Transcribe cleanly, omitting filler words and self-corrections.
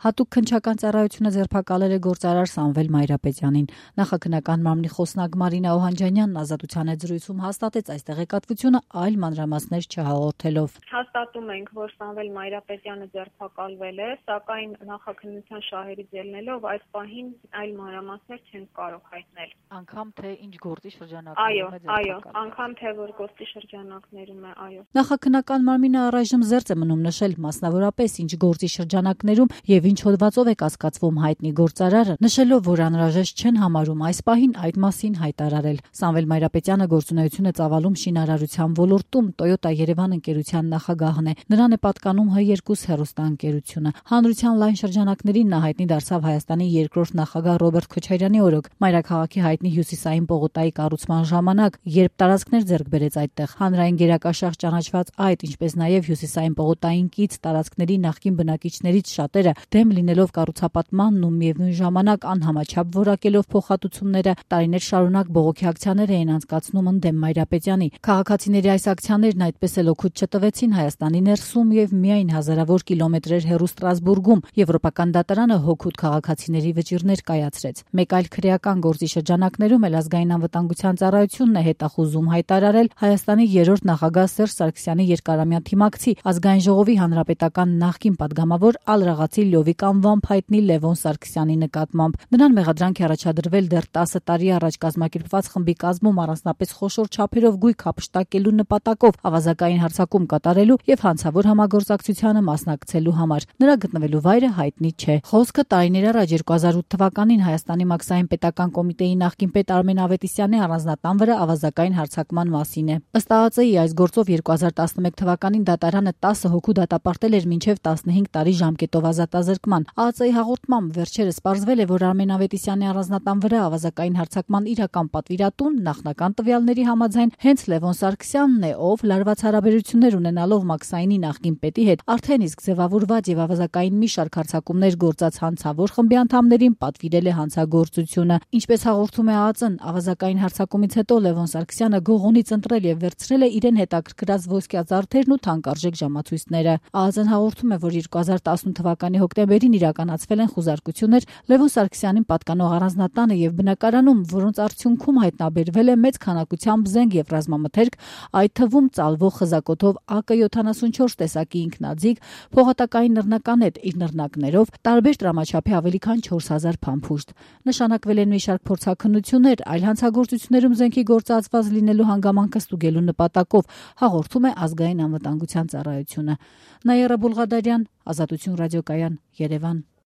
Հատուկ քննչական ծառայությունը ձերբակալել է գործարար Սամվել Մայրապետյանին։ Նախաքննական մարմնի խոսնակ Մարինա Օհանջանյանն Ազատության հետ զրույցում հաստատեց այս տեղեկատվությունը, այլ մանրամասներ չհաղորդելով։ Հաստատում ենք, որ Սամվել Մայրապետյանը ձերբակալվել է, սակայն նախաքննության շահերից ելնելով այս պահին այլ մանրամասներ չենք կարող հայտնել։ Անգամ թե ինչ գործի շրջանակներում է ձերբակալվել։ Այո, անգամ թե որ գործի շրջանակներում է, այո։ Նախաքննական մարմինը առայժմ զերծ է մնում նշել մասնավորապես ինչ գործի շրջանակներում եւ ինչ հոդվածով է կասկածվում հայտնի գործարարը, նշելով, որ անհրաժեշտ չեն համարում այս պահին այդ մասին հայտարարել։ Սամվել Մայրապետյանը գործունեություն է ծավալում շինարարության ոլորտում, Toyota Երևան ընկերության նախագահն է։ Նրան է պատկանում H2 հեռուստաընկերությունը։ Հանրության լայն շրջանակներին նա հայտնի դարձավ Հայաստանի երկրորդ նախագահ Ռոբերտ Քոչարյանի օրոք մայրաքաղաքի հայտնի Հյուսիսային պողոտայի կառուցման ժամանակ, երբ տարածքներ ձեռք բերեց այդտեղ։ Հանրային գերակաշաղ ճանաչված այդ, ինչպես նաև Հյուսիսային պողոտային կից տարածքների նախկին բնակիչներից շատերը դեմ լինելով կառուցապատմանն ու միևնույն ժամանակ անհամաչափ որակելով փոխհատուցումները, տարիներ շարունակ բողոքի ակցիաներ էին անցկացնում ընդդեմ Մայրապետյանի։ Քաղաքացիների այս ակցիաներն այդպես էլ օգուտ չտվեցին Հայաստանի ներսում եւ միայն հազարավոր կիլոմետրեր հեռու Ստրասբուրգում Եվրոպական դատարանը հօգուտ քաղաքացիների վճիռներ կայացրեց։ Մեկ այլ քրեական գործի շրջանակներում էլ ազգային անվտանգության ծառայությունն է հետախուզում հայտարարել Հայաստանի երրորդ նախագահ Սերժ Սարգսյանի երկարամյա թիմակցի ազգային ժողովի հանրապետական նախկին падգամավոր Ալրաղացի Լյովիկ անվամբ հայտնի Լևոն Սարգսյանի նկատմամբ։ Նրան մեղադրանք է առաջադրվել դեռ 10 տարի առաջ կազմակերպված խմբի կազմում առանձնապես խոշոր չափերով գույք հափշտակելու նպատակով ավազակային հարձակում կատարելու եւ հանցավոր համագործակցությանը մասնակցելու համար։ Նրա գտնվելու վայրը հայտնի չէ։ Խոսքը տարիներ առաջ 2008 թվականին Հայաստանի Մաքսային պետական կոմիտեի նախկին պետ Արմեն Ավետիսյանի առանձնատան վրա ավազակային հարձակման մասին է։ Ըստ ԱԱԾ-ի այս գործով 2011 թվականին դատարանը 10 հոգու դատապարտել էր մինչև 15 տարի ժամկետով ազատազրկման։ ԱԱԾ-ի հաղորդմամբ վերջերս պարզվել է, որ Արմեն Ավետիսյանի առանձնատան վրա ավազակային հարձակման իրական պատվիրատուն նախնական տվյալների համաձայն հենց Լևոն Սարգսյանն է, ով լարված հարաբերություններ ունենալով Մաքսայինի նախկին պետի հետ արդեն իսկ ձևավորված եւ ավազակային մի շարք հարձակումներ գործած հանցավոր խմբի անդամներին պատվիրել է հանցագործությունը։ Ինչպես հաղորդում է ԱԱԾ-ն, ավազակային հարձակումից հետո Լևոն Սարգսյանը գողունից ընտրել եւ վերցրել է իրեն հետաքրքրած ոսկյա զարդերն ու թանկարժեք ժամացույցները։ ԱԱԾ-ն հաղորդում է, որ 2018 թվականի հոկտեմբերին իրականացվել են խուզարկություններ Լևոն Սարգսյանին պատկանող առանձնատանը եւ բնակարանում, որոնց արդյունքում հայտնաբերվել է մեծ քանակությամբ զենք եւ ռազմամթերք, այդ թվում ծալվող խզակոթով AK-74 տեսակի ինքնաձիգ, փողատակային նռնականետ իր նռնակներով, տարբեր տրամաչափի ավելի քան 4000 փամփուշտ։ Նշանակվել են մի շարք փորձաքննություններ, այլ հանցագործություններում զենքի գործածված լինելու հանգամանքը ստուգելու նպատակով, հաղորդում է ազգային անվտանգության ծառայությունը։ Նաիրա Բուլղադարյան, Ազատություն ռադիոկայան, Երևան։